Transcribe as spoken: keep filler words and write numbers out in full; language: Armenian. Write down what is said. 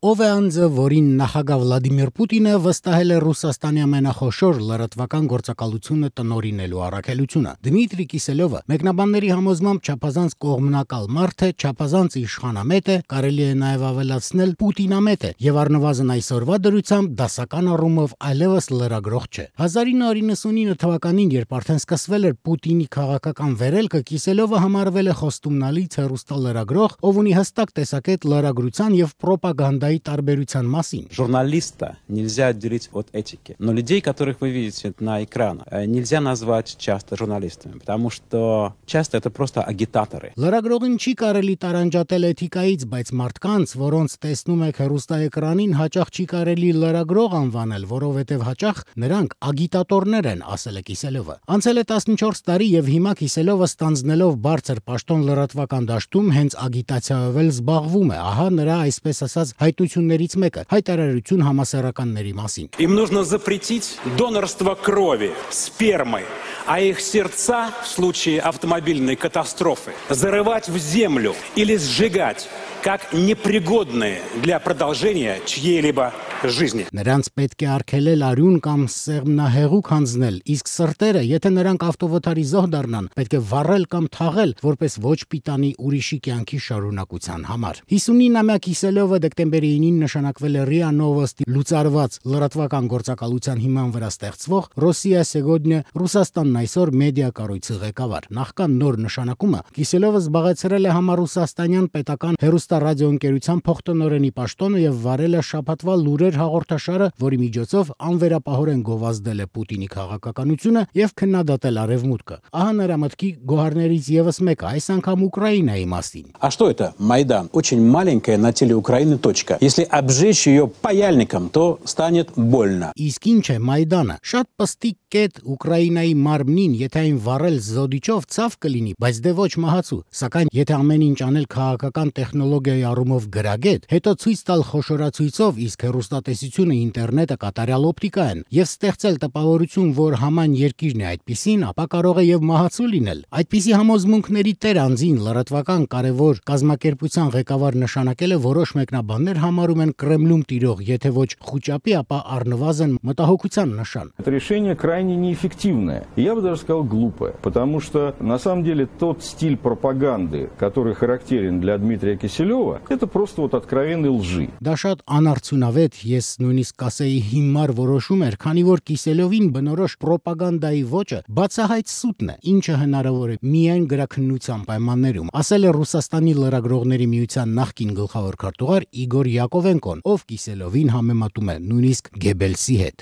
Ով է անձը, որին նախագահ Վլադիմիր Պուտինը վստահել է Ռուսաստանի ամենախոշոր լրատվական գործակալությունը տնօրինելու առաքելությունը։ Դմիտրի Կիսելյովը մեկնաբանների համոզմամբ չափազանց կողմնակալ մարդ է, չափազանց իշխանամետ է, կարելի է նաև ավելացնել Պուտինամետ է, եւ առնվազն այսօրվա դրությամբ դասական առումով այլևս լրագրող չէ։ հազար ինը հարյուր նվաթինը թվականին, երբ արդեն սկսվել էր Պուտինի քաղաքական վերելքը, Կիսելյովը համարվել է խոստումնալից հեռուստալրագրող, ով ունի հստակ տեսակետ լրագրության եւ պրոպագանդայի տարբերության մասին։ Журналиста нельзя отделить от этики. Но людей, которых вы видите на экранах, нельзя назвать часто журналистами, потому что часто это просто агитаторы. Լրագրողին չի կարելի տարանջատել էթիկայից, բայց մարդկանց, որոնց տեսնում եք հեռուստաէկրանին, հաճախ չի կարելի լրագրող անվանել, որովհետև հաճախ նրանք ագիտատորներ են, ասել է Կիսելյովը։ Անցել է տասնչորս տարի եւ հիմա Կիսելյովը ստանձնելով բարձր պաշտոն լրատվական դաշտում հենց ագիտացիայով էլ զբաղվում է։ Ահա նրա այսպես ասած հայտություններից մեկը՝ հայտարարություն համասեռականների մասին։ Им нужно запретить донорство крови, спермы, а их сердца в случае автомобильной катастрофы зарывать в землю или сжигать как непригодные для продолжения чьей-либо жизни. Նրանց պետք է արգելել արյուն կամ սեղմնահեղուկ հանձնել, իսկ սրտերը, եթե նրանք ավտովթարի զոհ դառնան, պետք է վառել կամ թաղել, որպես ոչ պիտանի ուրիշի կյանքի շարունակության համար։ հիսունինամյա Կիսելյովը դեկտեմբերի ինին նշանակվել է ՌԻԱ Նովոստի լուծարված լրատվական գործակալության հիման վրա ստեղծվող Ռոսիա Սեգոդնյա Ռուսաստանն այսօր մեդիա կառույցի ղեկավար։ Նախքան նոր նշանակումը Կիսելյովը զբաղեցրել է համառուսաստանյան պետական հեռուստառադիոընկերության փոխտնօրենի պաշտոնը եւ վարել է շաբաթվա լուրեր հաղորդաշարը, որի միջոցով անվերապահորեն գովազդել է Պուտինի քաղաքականությունը եւ քննադատել Արևմուտքը։ Ահա նրա մտքի գոհարներից եւս մեկը, այս անգամ Ուկրաինայի մասին։ А что это? Майдан. Очень маленькая на теле Украины точка. Если обжечь ее паяльником, то станет больно. Իսկ ինչ է Մայդանը։ Շատ պստիկ կետ Ուկրաինայի մարմնին, եթե այն վառել զոդիչով ցավ կլինի, բայց դե ոչ մահացու։ Սակայն եթե ամեն ինչ անել քաղաքական տեխնոլոգիայի առումով գրագետ, հետո ցույց տալ խոշորացույցով, իսկ հեռուստատեսությունը, ինտերնետը կատարյալ օպտիկա են, եւ ստեղծել տպավորություն, որ համայն երկիրն է այդպիսին, ապա կարող է եւ մահացու լինել։ Այդպիսի համոզմունքների տեր անձին լրատվական կարևոր կազմակերպության ղեկավար նշանակել է որոշ մեկնաբաններ համարում են Կրեմլում տիրող, եթե ոչ խուճապի, ապա առնվազն մտահոգության նշան։ Это решение крайне неэффективное. Я бы даже сказал глупое, потому что на самом деле тот стиль пропаганды, который характерен для Дмитрия Киселева, это просто вот откровенной лжи. Դա շատ անարդյունավետ, ես նույնիսկ կասեի հիմար որոշում էր, քանի որ Կիսելյովին բնորոշ պրոպագանդայի ոճը բացահայտ սուտն է, ինչը հնարավոր է միայն գրաքննության պայմաններում, ասել է Ռուսաստանի լրագրողների միության նախկին գլխավոր քարտուղար Իգոր Յակովենկոն, ով Կիսելյովին համեմատում է նույնիսկ Գեբելսի հետ։